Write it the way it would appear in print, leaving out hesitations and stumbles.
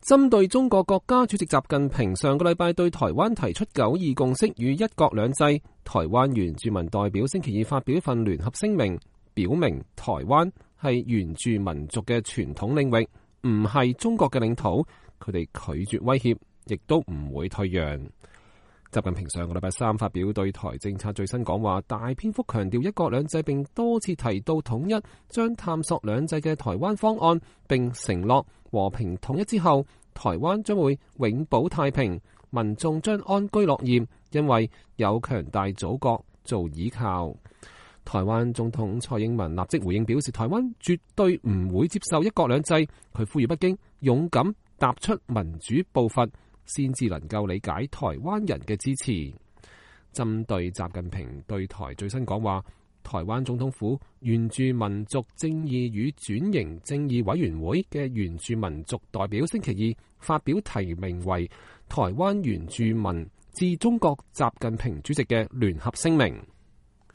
針對中國國家主席習近平上個禮拜對台灣提出9·2共識與一國兩制，台灣原住民代表星期二發表一份聯合聲明，表明台灣係原住民族嘅傳統領域，唔係中國嘅領土，佢哋拒絕威脅，亦都唔會退讓。習近平上個禮拜三發表對台政策最新講話，大篇幅強調一國兩制，並多次提到統一，將探索兩制嘅台灣方案，並承諾和平統一之後，台灣將會永保太平，民眾將安居樂業，因為有強大祖國做依靠。台灣總統蔡英文立即回應表示，台灣絕對唔會接受一國兩制，佢呼籲北京勇敢踏出民主步伐，先至能夠理解台灣人嘅支持。針對習近平對台最新講話，台灣總統府原住民族正義與轉型正義委員會嘅原住民族代表星期二發表提名為台灣原住民致中國習近平主席嘅聯合聲明。